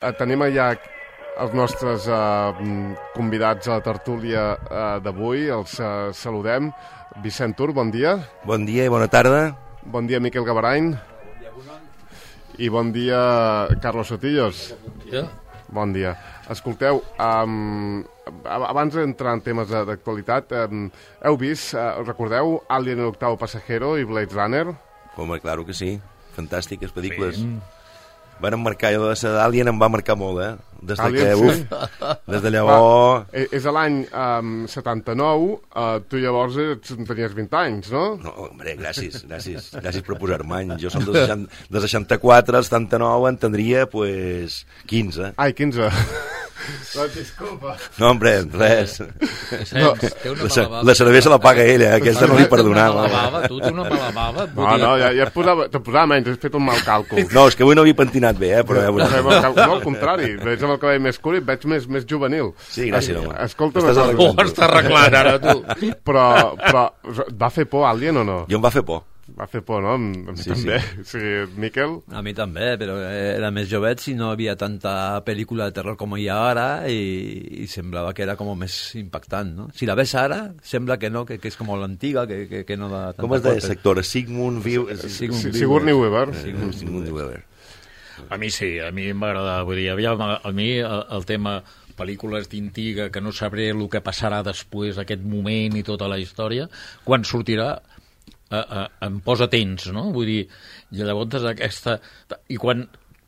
Tenim allà els nostres convidats a la tertúlia d'avui. Els saludem. Vicent Tur, bon dia. Bon dia i bona tarda. Bon dia, Miquel Gabarany. I bon dia, Carlos Sotillos. Bon dia. Escolteu, abans d'entrar en temes d'actualitat, heu vist, recordeu Alien el octavo pasajero i Blade Runner? Home, claro que sí. Fantàstiques pel·lícules. Sí. Van marcar, la d'Alien em va marcar molt, Des de llavors... És a l'any 79, tu llavors tenies 20 anys, no? No, home, gràcies per posar-me anys. Jo som de 64, al 79 en tindria, pues, 15. Ai, 15. Doncs disculpa. No, hombre, res. La cervesa la paga ella, aquesta no li perdonava. Tu té una mala bava? No, ja te posava menys, has fet un mal càlcul. No, és que avui no havia pentinat bé, però... No, al contrari, veig amb el cabell més curt i veig més juvenil. Sí, gràcies, home. Escolta, està arreglant ara, tu. Però va fer por Alien o no? Jo em va fer por. Va fer por, no? A mi també. Sí, Miquel? A mi també, però era més jovet i no havia tanta pel·lícula de terror com hi ha ara i semblava que era com més impactant, no? Si la ves ara, sembla que no, que és com l'antiga, que no da tanta... Com es deia sector? Sigourney Weaver. Sigourney Weaver. A mi sí, a mi m'agrada. Vull dir, a mi el tema pel·lícules d'intriga, que no sabré el que passarà després, aquest moment i tota la història, quan sortirà em posa tens, no? Vull dir, i llavors aquesta... I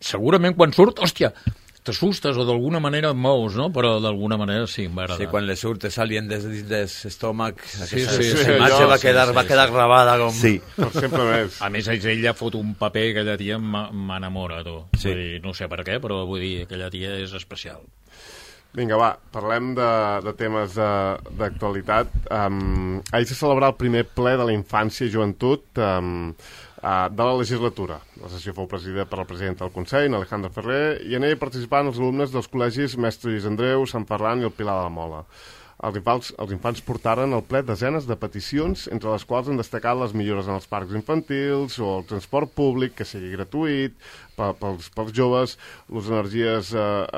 segurament quan surt, hòstia, t'assustes o d'alguna manera et mous, no? Però d'alguna manera sí, em va agradar. Sí, quan le surt Alien des l'estómac, sí, aquesta imatge va quedar gravada com... Sí, sempre més. A més, ella fot un paper, aquella tia m'enamora, tu. Sí. Vull dir, no sé per què, però vull dir, aquella tia és especial. Vinga, va, parlem de temes d'actualitat. Ahir se celebrar el primer ple de la infància i joventut de la legislatura. La sessió fou presidida per el president del Consell, Alejandro Ferrer, i en ell participaven els alumnes dels col·legis Mestre Lluís Andreu, Sant Ferran i el Pilar de la Mola. Els infants portaren al ple desenes de peticions, entre les quals han destacat les millores en els parcs infantils o el transport públic, que sigui gratuït pels joves, les energies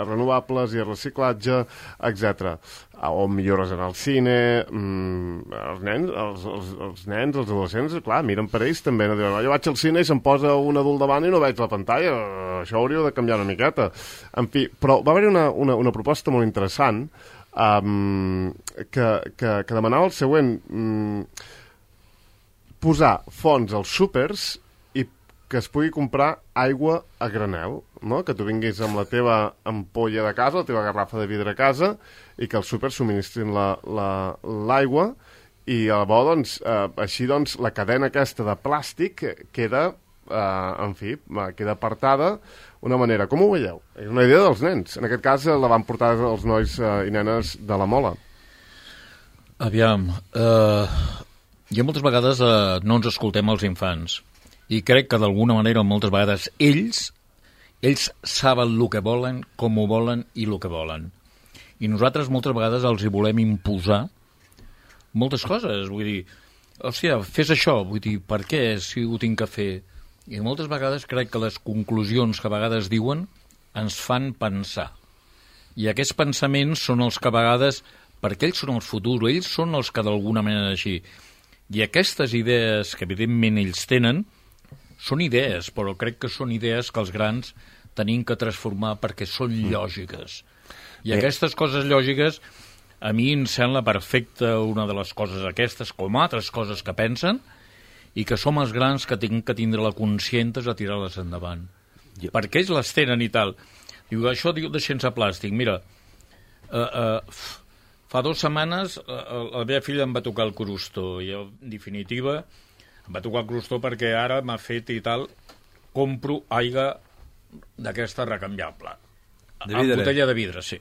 renovables i el reciclatge, etc. O millores en el cine. Els nens, els adolescents, clar, miren per ells també. No diuen, jo vaig al cine i se'm posa un adult davant i no veig la pantalla. Això hauríeu de canviar una miqueta. En fi, però va haver-hi una proposta molt interessant que demanava el següent: posar fons als súpers i que es pugui comprar aigua a granel, no? Que tu vinguis amb la teva ampolla de casa, la teva garrafa de vidre a casa, i que els súpers subministrin l'aigua, i llavors, així doncs, la cadena aquesta de plàstic queda, queda apartada una manera. Com ho veieu? És una idea dels nens. En aquest cas la van portar els nois i nenes de la Mola. Aviam, jo moltes vegades no ens escoltem els infants, i crec que d'alguna manera moltes vegades ells saben el que volen, com ho volen i el que volen. I nosaltres moltes vegades els hi volem imposar moltes coses. Vull dir, hòstia, fes això. Vull dir, per què si ho tinc que fer? I moltes vegades crec que les conclusions que a vegades diuen ens fan pensar. I aquests pensaments són els que a vegades, perquè ells són el futur, ells són els que d'alguna manera així. I aquestes idees que evidentment ells tenen, són idees, però crec que són idees que els grans tenim que transformar perquè són lògiques. I aquestes coses lògiques, a mi em sembla perfecta una de les coses aquestes, com altres coses que pensen, i que som els grans que tinc que tindre la consciència de tirar-les endavant. Perquè ells les tenen i tal. Diu, això diu de sense plàstic. Mira, fa 2 setmanes la meva filla em va tocar el crostó, i en definitiva em va tocar el crostó perquè ara m'ha fet i tal, compro aigua d'aquesta recanviable. En botella de vidre, sí.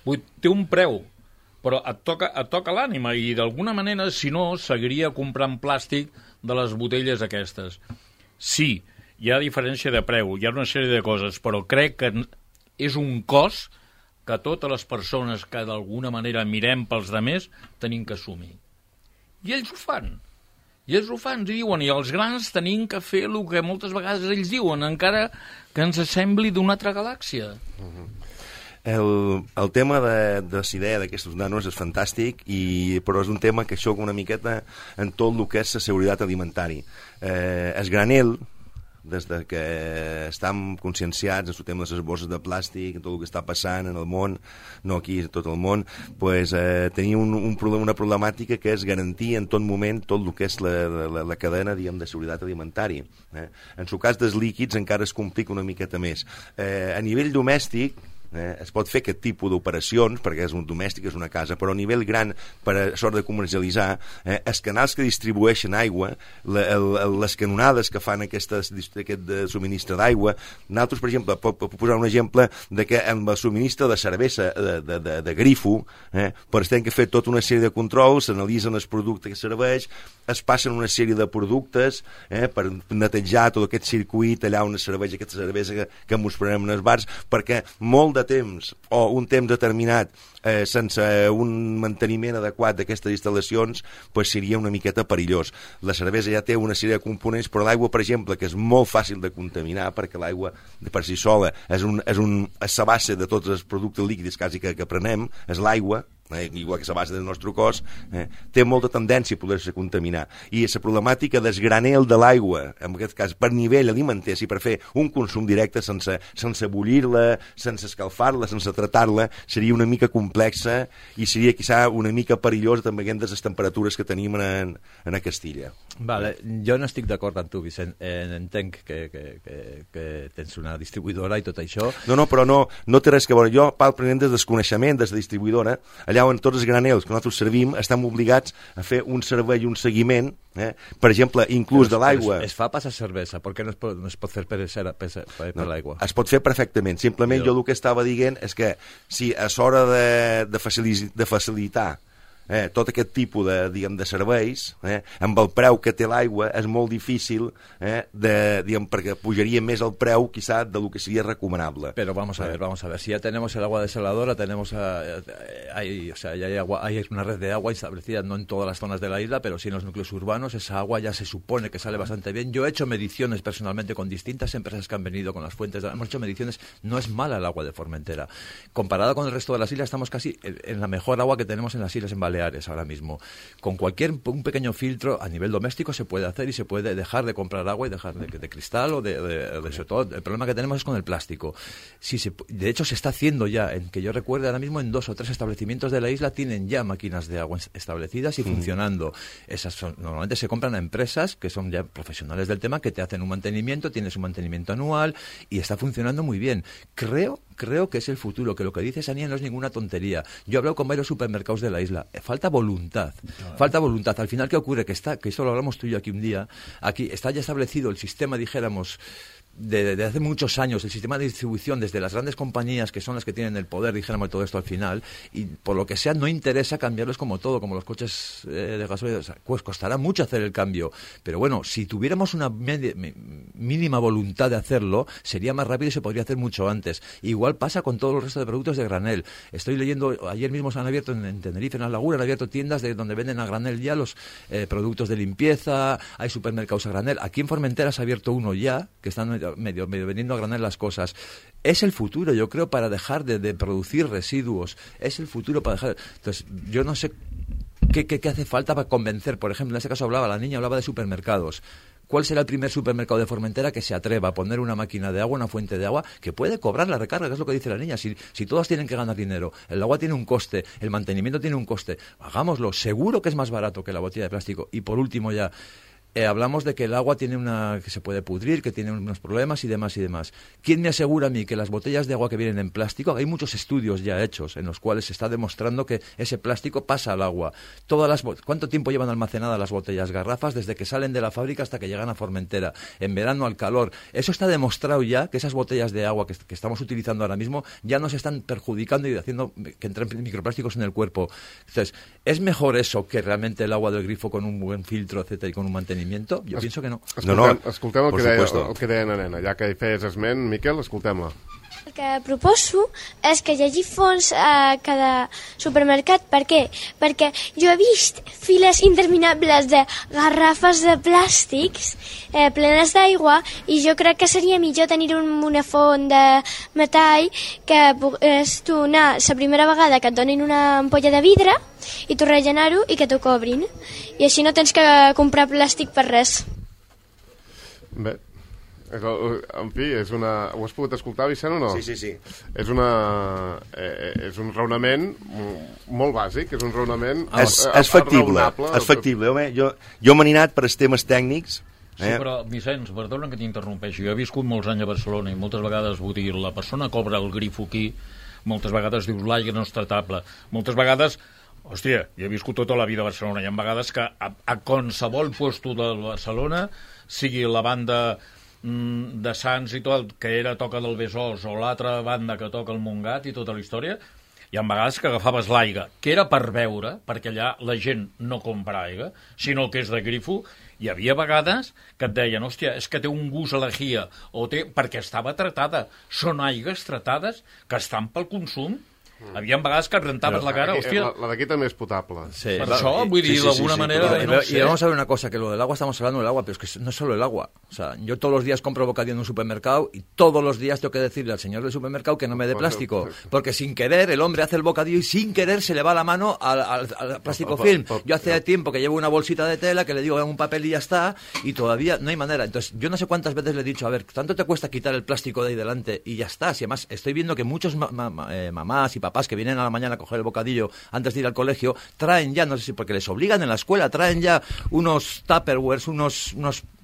Té un preu, però et toca l'ànima, i d'alguna manera, si no, seguiria comprant plàstic de les botelles aquestes. Sí, hi ha diferència de preu, hi ha una sèrie de coses, però crec que és un cost que totes les persones que d'alguna manera mirem pels demés tenim que assumir. I ells ho fan. I ells ho fan, i diuen, i els grans tenim que fer el que moltes vegades ells diuen, encara que ens sembli d'una altra galàxia. El tema de la idea d'aquestos nanos és fantàstic, però és un tema que xoca una miqueta en tot el que és la seguretat alimentària. El granel, des de que estem conscienciats en el tema de les bosses de plàstic, tot el que està passant en el món, no aquí, en tot el món, pues, tenim una problemàtica que és garantir en tot moment tot el que és la cadena, diguem, de seguretat alimentària. En el cas dels líquids encara es complica una miqueta més. A nivell domèstic, es pot fer aquest tipus d'operacions perquè és un domèstic, és una casa, però a nivell gran per a sort de comercialitzar, els canals que distribueixen aigua, les canonades que fan aquest subministre d'aigua, nosaltres, per exemple, puc posar un exemple de que amb el subministre de cervesa de grifo, per tenir que fer tota una sèrie de controls, s'analitzen els productes que serveix, es passen una sèrie de productes per netejar tot aquest circuit allà on es serveix aquesta cervesa que ens prenem en els bars, perquè molt de temps o un temps determinat sense un manteniment adequat d'aquestes instal·lacions, pues seria una miqueta perillós. La cervesa ja té una sèrie de components, però l'aigua, per exemple, que és molt fàcil de contaminar, perquè l'aigua per si sola és la base de tots els productes líquids quasi que prenem, és l'aigua, igual que la base del nostre cos, té molta tendència a poder-se contaminar. I la problemàtica del granel de l'aigua, en aquest cas per nivell alimentari, per fer un consum directe sense bullir-la, sense escalfar-la, sense tratar-la, seria una mica complexa i seria quizà una mica perillosa també de les temperatures que tenim a Castilla. Vale, jo no estic d'acord amb tu, Vicent. Entenc que tens una distribuïdora i tot això. No, però no té res que veure. Jo parlo des del desconeixement de la distribuïdora, allà on tots els granels que nosaltres servim estem obligats a fer un servei i un seguiment, per exemple, inclús de l'aigua. Es fa passar cervesa, per què no es pot fer per l'aigua? Es pot fer perfectament, simplement jo el que estava dient és que si a l'hora de facilitar tot aquest tipus de serveis, amb el preu que té l'aigua és molt difícil, perquè pujaria més el preu quizá de lo que sería recomanable. Pero vamos a ver, si ya tenemos el agua desaladora, hay una red de agua establecida, no en todas las zonas de la isla, pero sí en los núcleos urbanos, esa agua ya se supone que sale bastante bien. Yo he hecho mediciones personalmente con distintas empresas que han venido con las fuentes, hemos hecho mediciones, no es mala el agua de Formentera. Comparada con el resto de las islas, estamos casi en la mejor agua que tenemos en las islas en Baleares ahora mismo. Con un pequeño filtro a nivel doméstico se puede hacer y se puede dejar de comprar agua y dejar de cristal o sobre todo. El problema que tenemos es con el plástico. De hecho se está haciendo ya, en que yo recuerde ahora mismo en 2 o 3 establecimientos de la isla tienen ya máquinas de agua establecidas y funcionando. Normalmente se compran a empresas que son ya profesionales del tema, que te hacen un mantenimiento, tienes un mantenimiento anual y está funcionando muy bien. Creo que es el futuro, que lo que dice Sania no es ninguna tontería. Yo he hablado con varios supermercados de la isla. Falta voluntad. Falta voluntad. Al final, ¿qué ocurre? Que esto lo hablamos tú y yo aquí un día. Aquí está ya establecido el sistema, dijéramos, de hace muchos años, el sistema de distribución desde las grandes compañías que son las que tienen el poder, dijéramos, todo esto al final, y por lo que sea no interesa cambiarlos como todo, como los coches de gasolina. O sea, pues costará mucho hacer el cambio, pero bueno, si tuviéramos una mínima voluntad de hacerlo, sería más rápido y se podría hacer mucho antes. Igual pasa con todos los restos de productos de granel. Estoy leyendo, ayer mismo se han abierto en Tenerife, en la Laguna, han abierto tiendas donde venden a granel ya los productos de limpieza, hay supermercados a granel. Aquí en Formentera se ha abierto uno ya, que están medio vendiendo a granel las cosas. Es el futuro, yo creo, para dejar de producir residuos. Es el futuro para dejar. Entonces, yo no sé qué hace falta para convencer. Por ejemplo, en este caso la niña hablaba de supermercados. ¿Cuál será el primer supermercado de Formentera que se atreva a poner una máquina de agua, una fuente de agua, que puede cobrar la recarga, que es lo que dice la niña? Si todas tienen que ganar dinero, el agua tiene un coste, el mantenimiento tiene un coste, hagámoslo. Seguro que es más barato que la botella de plástico. Y por último ya, hablamos de que el agua tiene que se puede pudrir, que tiene unos problemas y demás y demás. ¿Quién me asegura a mí que las botellas de agua que vienen en plástico, hay muchos estudios ya hechos en los cuales se está demostrando que ese plástico pasa al agua? ¿Cuánto tiempo llevan almacenadas las botellas, garrafas, desde que salen de la fábrica hasta que llegan a Formentera? En verano al calor. Eso está demostrado ya, que esas botellas de agua que estamos utilizando ahora mismo ya nos están perjudicando y haciendo que entren microplásticos en el cuerpo. Entonces, ¿es mejor eso que realmente el agua del grifo con un buen filtro, etcétera, y con un mantenimiento? Jo penso que no. Escoltem el que deia la nena, ja que hi feies esment. Miquel, escoltem-la. que proposo és que hi hagi fons a cada supermercat. Per què? Perquè jo he vist files interminables de garrafes de plàstics plenes d'aigua i jo crec que seria millor tenir una font de metall que pogués tu anar la primera vegada que et donin una ampolla de vidre i tu rellenar-ho i que t'ho cobrin. I així no tens que comprar plàstic per res. Bé, en fi, ho has pogut escoltar, Vicent, o no? Sí. És un raonament molt bàsic, és un raonament és factible, és factible. Home, jo m'he anat per els temes tècnics. Sí, però, Vicenç, perdona que t'interrompeixi. Jo he viscut molts anys a Barcelona i moltes vegades, vull dir, la persona cobra el grifo aquí, moltes vegades dius l'aigua no és tratable. Moltes vegades, hòstia, jo he viscut tota la vida a Barcelona, hi ha vegades que a qualsevol puesto de Barcelona, sigui la banda de Sants i tot, que era Toca del Besòs, o l'altra banda que toca el Montgat i tota la història, hi ha vegades que agafaves l'aigua, que era per beure, perquè allà la gent no compra aigua, sinó que és de grifo. Hi havia vegades que et deien, hòstia, és que té un gust a l'egia, perquè estava tratada. Són aigues tratades que estan pel consum. Havia vegades que et rentaves la cara, hòstia. La d'aquí també és potable. Sí. Per això, vull dir, d'alguna manera... Y vamos a ver una cosa, que lo del agua, estamos hablando del agua, pero es que no es solo el agua. O sea, yo todos los días compro bocadillo en un supermercado y todos los días tengo que decirle al señor del supermercado que no me dé plástico, porque sin querer el hombre hace el bocadillo y sin querer se le va la mano al plástico film. Yo hace tiempo que llevo una bolsita de tela que le digo en un papel y ya está, y todavía no hay manera. Entonces, yo no sé cuántas veces le he dicho, a ver, ¿tanto te cuesta quitar el plástico de ahí delante? Y ya está. Si además estoy viendo que muchos mamás y papás que vienen a la mañana a coger el bocadillo antes de ir al colegio, traen ya, no sé si porque les obligan en la escuela, traen ya unos tupperwares, unos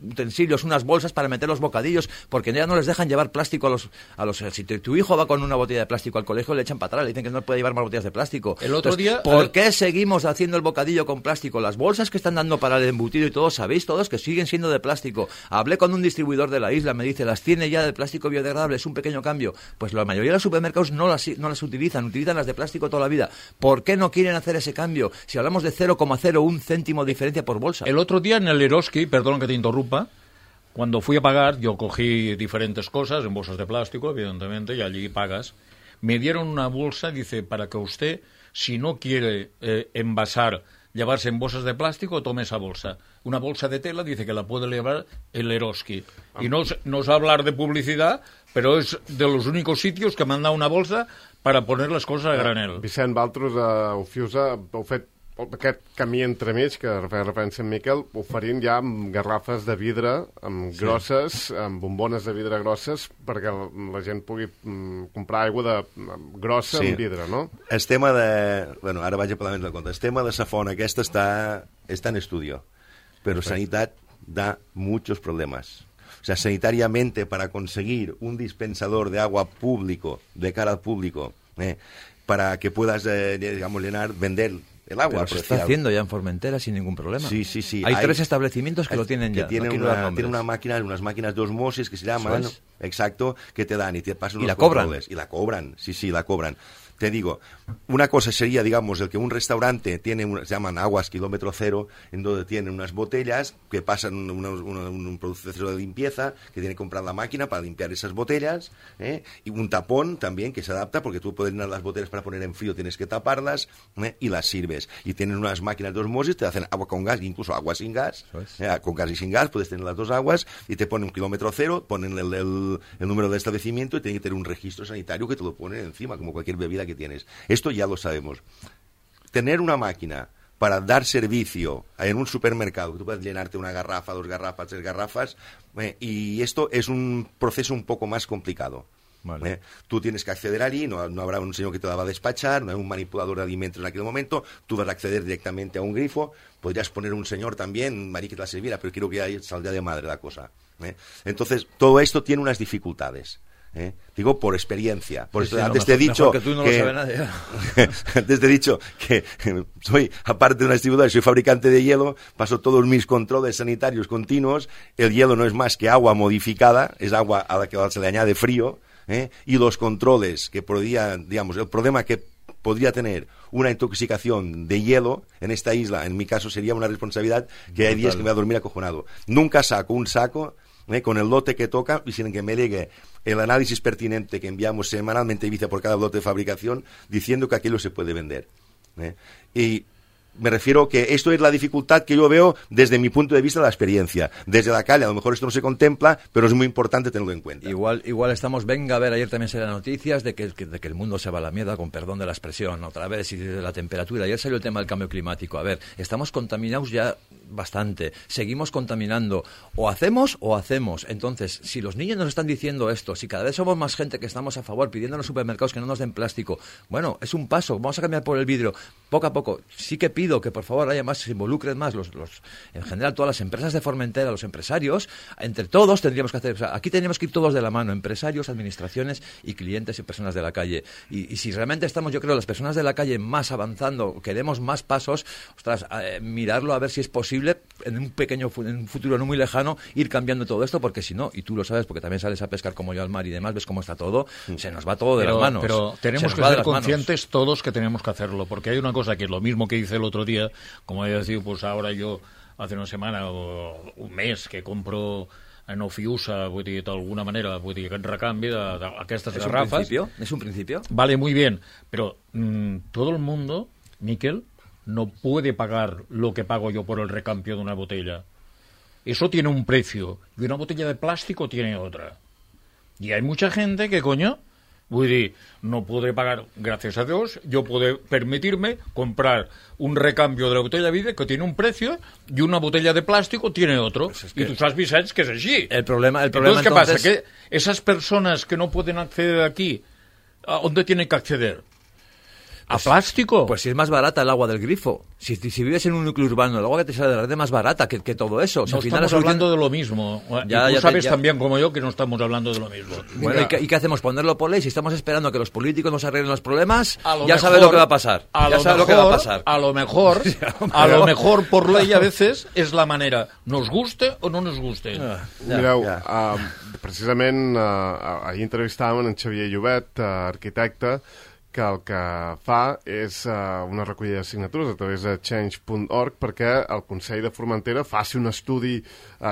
utensilios, unas bolsas para meter los bocadillos, porque ya no les dejan llevar plástico a los si tu hijo va con una botella de plástico al colegio, le echan para atrás, le dicen que no puede llevar más botellas de plástico. El otro día... ¿Por qué seguimos haciendo el bocadillo con plástico? Las bolsas que están dando para el embutido y todo, sabéis todos que siguen siendo de plástico. Hablé con un distribuidor de la isla, me dice, las tiene ya de plástico biodegradable, es un pequeño cambio. Pues la mayoría de los supermercados no las utilizan las de plástico toda la vida. ¿Por qué no quieren hacer ese cambio? Si hablamos de 0,01 céntimo de diferencia por bolsa. El otro día en el Eroski, perdón que te interrumpa, cuando fui a pagar, yo cogí diferentes cosas en bolsas de plástico, evidentemente, y allí pagas. Me dieron una bolsa, dice, para que usted, si no quiere envasar, llevarse en bolsas de plástico, tome esa bolsa. Una bolsa de tela, dice que la puede llevar el Eroski. Y no es hablar de publicidad, pero es de los únicos sitios que me han dado una bolsa para poner les coses a granel. Vicent, vosaltres a Ufiusa heu fet aquest camí entremig que feia referència en Miquel, oferint ja amb garrafes de vidre grosses, amb bombones de vidre grosses, perquè la gent pugui comprar aigua grossa amb vidre, no? El tema de... Bueno, ara vaig a parlar més de compte. El tema de la font aquesta està en estudio, però Sanitat da muchos problemas. O sea, sanitariamente, para conseguir un dispensador de agua público, de cara al público, para que puedas, digamos, vender el agua. Pero se está haciendo ya en Formentera sin ningún problema. Sí. Hay 3 establecimientos que lo tienen ya. Tienen unas máquinas de osmosis que se llaman, exacto, que te dan y te pasan los controles. Y la cobran, sí, la cobran. Te digo, una cosa sería, digamos, el que un restaurante tiene, se llaman aguas kilómetro cero, en donde tienen unas botellas que pasan un proceso de limpieza, que tiene que comprar la máquina para limpiar esas botellas, y un tapón también que se adapta, porque tú puedes llenar las botellas para poner en frío, tienes que taparlas, y las sirves. Y tienen unas máquinas de osmosis, te hacen agua con gas, incluso agua sin gas, con gas y sin gas, puedes tener las dos aguas, y te ponen un kilómetro cero, ponen el número del establecimiento y tienen que tener un registro sanitario que te lo ponen encima, como cualquier bebida que tienes. Esto ya lo sabemos. Tener una máquina para dar servicio en un supermercado, que tú puedes llenarte una garrafa, 2 garrafas, 3 garrafas, y esto es un proceso un poco más complicado. Vale. Tú tienes que acceder allí, no habrá un señor que te la va a despachar, no hay un manipulador de alimentos en aquel momento, tú vas a acceder directamente a un grifo, podrías poner un señor también, Marí, que te la sirviera, pero creo que ahí saldría de madre la cosa. Entonces, todo esto tiene unas dificultades. Digo por experiencia. Por eso antes te he dicho que tú no lo sabes nadie. Antes te he dicho que soy, aparte de una distribuidora, soy fabricante de hielo, paso todos mis controles sanitarios continuos. El hielo no es más que agua modificada, es agua a la que se le añade frío, y los controles que podría, digamos, el problema que podría tener una intoxicación de hielo en esta isla, en mi caso sería una responsabilidad que hay días que me voy a dormir acojonado. Nunca saco un saco con el lote que toca y sin que me llegue el análisis pertinente que enviamos semanalmente a Ibiza por cada lote de fabricación diciendo que aquello se puede vender. Y me refiero que esto es la dificultad que yo veo desde mi punto de vista de la experiencia. Desde la calle a lo mejor esto no se contempla, pero es muy importante tenerlo en cuenta. Igual estamos, venga a ver, ayer también salieron noticias de que el mundo se va a la mierda, con perdón de la expresión, otra vez, y de la temperatura. Ayer salió el tema del cambio climático. A ver, estamos contaminados ya bastante, seguimos contaminando, o hacemos. Entonces, si los niños nos están diciendo esto, si cada vez somos más gente que estamos a favor, pidiendo en los supermercados que no nos den plástico, bueno, es un paso, vamos a cambiar por el vidrio, poco a poco. Sí que pido que por favor haya más, se involucren más en general todas las empresas de Formentera, los empresarios, entre todos tendríamos que hacer, o sea, aquí tendríamos que ir todos de la mano, empresarios, administraciones y clientes y personas de la calle, y si realmente estamos, yo creo, las personas de la calle más avanzando, queremos más pasos, ostras, mirarlo a ver si es posible en un futuro no muy lejano ir cambiando todo esto, porque si no, y tú lo sabes porque también sales a pescar como yo al mar y demás, ves cómo está todo, se nos va todo de las manos. Pero tenemos que ser conscientes todos que tenemos que hacerlo, porque hay una cosa que es lo mismo que hice el otro día, como he decidido, pues ahora yo hace una semana o un mes que compro en Ofiusa, vull dir, d'alguna manera, vull dir, aquest recanvi d'aquestes garrafes. ¿Es un principio? Vale, muy bien, pero todo el mundo, Miquel, no puede pagar lo que pago yo por el recambio de una botella. Eso tiene un precio, y una botella de plástico tiene otra. Y hay mucha gente que, coño, vull dir, no podré pagar, gracias a Dios, yo puedo permitirme comprar un recambio de la botella de vidrio que tiene un precio y una botella de plástico tiene otro. Pues es que... Y tú sabes, Vicens, que es así. El problema entonces, ¿qué pasa? Que esas personas que no pueden acceder aquí, ¿a dónde tienen que acceder? ¿A plástico? Pues si es más barata el agua del grifo. Si vives en un núcleo urbano, el agua que te sale de la red es más barata que todo eso. O sea, no al final estamos hablando de lo mismo. Ya, y tú sabes también como yo que no estamos hablando de lo mismo. Bueno, ¿y qué hacemos? ¿Ponerlo por ley? Si estamos esperando que los políticos nos arreglen los problemas, ya sabes lo que va a pasar. A lo mejor por ley a veces és la manera, nos guste o no nos guste. Mireu, precisament ahir entrevistàvem en Xavier Llobet, arquitecte, que el que fa és una recollida de signatures a través de change.org perquè el Consell de Formentera faci un estudi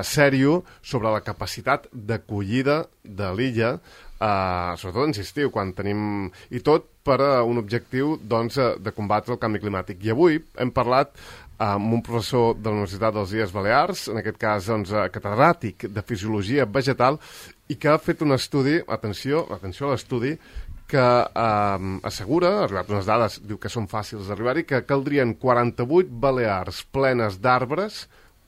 sèrio sobre la capacitat d'acollida de l'illa, sobretot en estiu, quan tenim... I tot per un objectiu doncs, de combatre el canvi climàtic. I avui hem parlat amb un professor de la Universitat dels Illes Balears, en aquest cas doncs, catedràtic de Fisiologia Vegetal, i que ha fet un estudi, atenció a l'estudi, que assegura, ha arribat unes dades, diu que són fàcils d'arribar-hi, que caldrien 48 balears plenes d'arbres,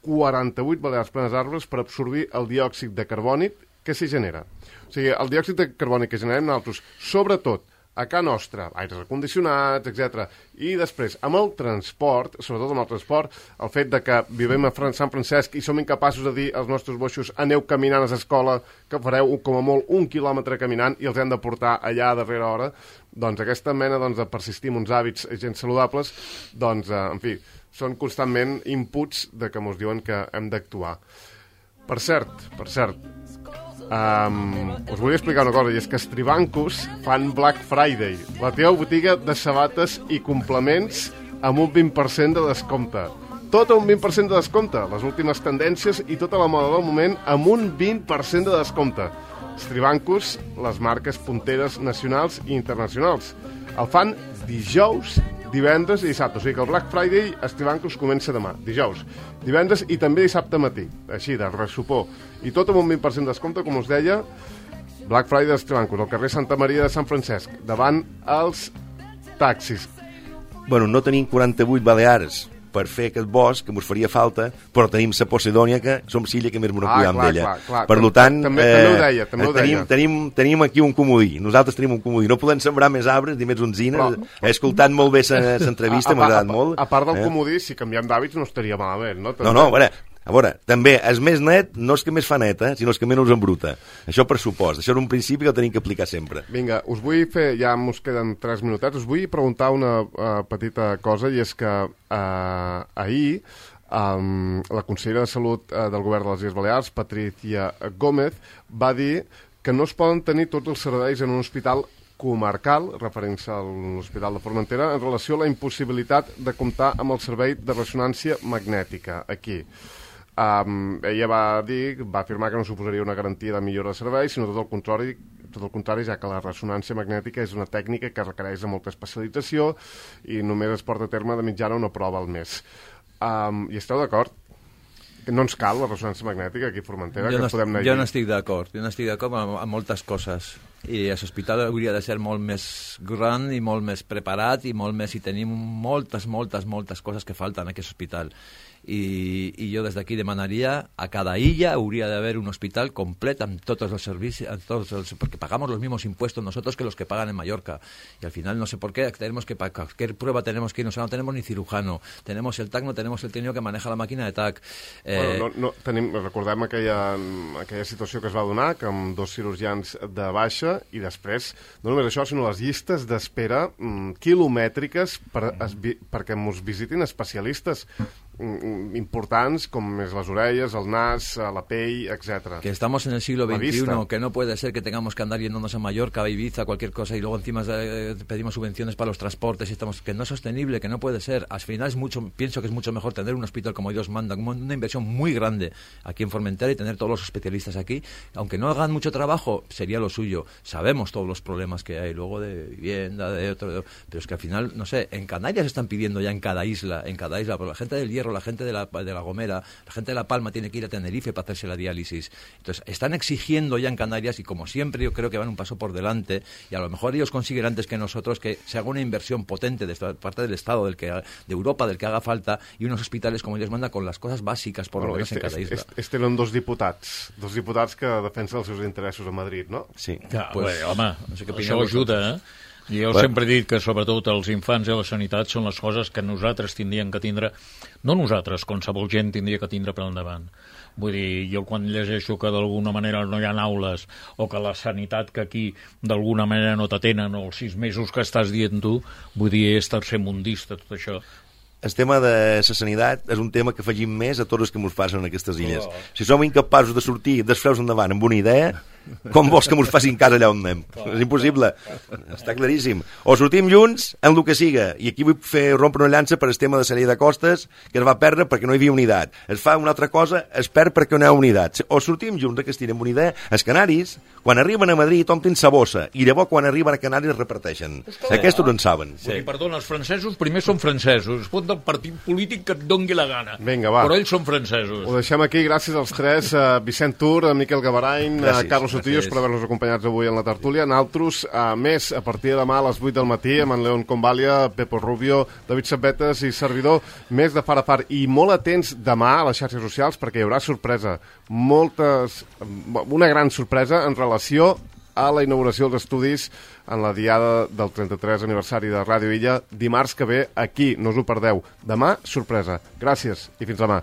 48 balears plenes d'arbres per absorbir el diòxid de carboni que s'hi genera. O sigui, el diòxid de carboni que generem nosaltres, sobretot a casa nostra, aires acondicionats, etc. I després, amb el transport, sobretot amb el transport, el fet de que vivim a Sant Francesc i som incapaços de dir als nostres boixos aneu caminant a l'escola, que fareu com a molt 1 quilòmetre caminant i els hem de portar allà a darrera hora, doncs aquesta mena de persistir en uns hàbits gens saludables, doncs, en fi, són constantment inputs de que ens diuen que hem d'actuar. Per cert, us volia explicar una cosa, i és que Strivancus fan Black Friday, la teva botiga de sabates i complements amb un 20% de descompte. Tot un 20% de descompte, les últimes tendències i tota la moda del moment amb un 20% de descompte. Strivancus, les marques punteres nacionals i internacionals. El fan dijous, divendres i dissabte. O sigui que el Black Friday a Strivancus comença demà, dijous, divendres i també dissabte matí, així, de ressupor. I tot amb un 20% de descompte, com us deia, Black Friday a Strivancus, al carrer Santa Maria de Sant Francesc, davant els taxis. Bueno, no tenim 48 balears per fer aquest bosc, que ens faria falta, però tenim la Posidònia, que som l'illa que més m'ho cuidam d'ella. Per tant, també ho deia. Tenim aquí un comodí. Nosaltres tenim un comodí. No podem sembrar més arbres ni més onzines. He escoltat molt bé l'entrevista, m'ha agradat molt. A part del comodí, si canviem d'hàbits no estaria malament, no? A veure, també, el més net no és que més fa net, sinó és que menys embruta. Això per supost. Això era un principi que el tenim que aplicar sempre. Vinga, us vull fer, ja ens queden 3 minutets, us vull preguntar una petita cosa, i és que ahir la consellera de Salut del Govern de les Illes Balears, Patricia Gómez, va dir que no es poden tenir tots els serveis en un hospital comarcal, referint-se a l'Hospital de Formentera, en relació a la impossibilitat de comptar amb el servei de ressonància magnètica aquí. ella va afirmar que no suposaria una garantia de millora de servei, sinó tot el contrari, ja que la ressonància magnètica és una tècnica que requereix de molta especialització i només es porta a terme de mitjana una prova al mes. I esteu d'acord? No ens cal la ressonància magnètica aquí a Formentera? Jo no estic d'acord. Jo no estic d'acord amb moltes coses. I l'hospital hauria de ser molt més gran i molt més preparat i molt més... I tenim moltes coses que falten en aquest hospital. I jo des d'aquí demanaria a cada illa hauria d'haver un hospital complet amb tots els servicis, porque pagamos los mismos impuestos nosotros que los que pagan en Mallorca. Y al final no sé por qué tenemos que para cualquier prueba tenemos que ir, no tenemos ni cirujano, tenemos el TAC, no tenemos el técnico que maneja la màquina de TAC. Recordem aquella situació que es va donar, que amb 2 cirurgians de baixa, i després, no només això, sinó les llistes d'espera quilomètriques perquè ens visitin especialistes importants com és les orelles, el nas, la pell, etc. Que estamos en el siglo XXI, que no puede ser que tengamos que andar yéndonos a Mallorca, a Ibiza, cualquier cosa, y luego encima pedimos subvenciones para los transportes, y que no es sostenible, que no puede ser. Al final pienso que es mucho mejor tener un hospital como Dios manda, una inversión muy grande aquí en Formentera y tener todos los especialistas aquí. Aunque no hagan mucho trabajo, sería lo suyo. Sabemos todos los problemas que hay luego de vivienda, pero es que al final, no sé, en Canarias están pidiendo ya en cada isla, pero la gente del Hierro, la gente de la Gomera, la gente de La Palma tiene que ir a Tenerife para hacerse la diálisis. Entonces, están exigiendo ya en Canarias, y como siempre yo creo que van un paso por delante, y a lo mejor ellos consiguen antes que nosotros que se haga una inversión potente de parte del Estado, de Europa, del que haga falta, y unos hospitales como ellos manda con las cosas bàsiques por lo menos en cada isla. Tenen dos diputats que defensen els seus interessos a Madrid, no? Sí. Ja, pues, home, no sé això ajuda, Jo sempre he dit que sobretot els infants i la sanitat són les coses que nosaltres tindríem que tindre, no nosaltres, qualsevol gent tindria que tindre per endavant. Vull dir, jo quan llegeixo que d'alguna manera no hi ha aules o que la sanitat que aquí d'alguna manera no t'atenen o els 6 mesos que estàs dient tu, vull dir, és tercermundista tot això. El tema de la sanitat és un tema que afegim més a tots els que ens passen en aquestes illes. Si som incapaços de sortir desfreus endavant amb una idea, com vols que ens facin cas allà on anem? És impossible, està claríssim. O sortim junts en el que siga, i aquí vull fer rompre una llança per el tema de la llei de costes, que es va perdre perquè no hi havia unitat. Es fa una altra cosa, es perd perquè no hi ha unitat. O sortim junts, que estirem una idea. Els canaris, quan arriben a Madrid, omplen sa bossa, i llavors quan arriben a Canàries reparteixen. Aquests ho en saben. Sí. Perdona, els francesos primer són francesos, es pot del partit polític que et dongui la gana. Vinga, va. Però ells són francesos. Ho deixem aquí, gràcies als 3, Vicent Tur, Miquel Gavarain, Carlos Sotillos, per haver-nos acompanyats avui en la tertúlia. Naltros, més, a partir de demà a les 8 del matí, amb en León Convalia, Pepo Rubio, David Sabetes i servidor, més de far a far. I molt atents demà a les xarxes socials, perquè hi haurà sorpresa. Una gran sorpresa en relació a la inauguració dels estudis en la diada del 33 aniversari de Ràdio Illa, dimarts que ve aquí, no us ho perdeu. Demà, sorpresa. Gràcies i fins demà.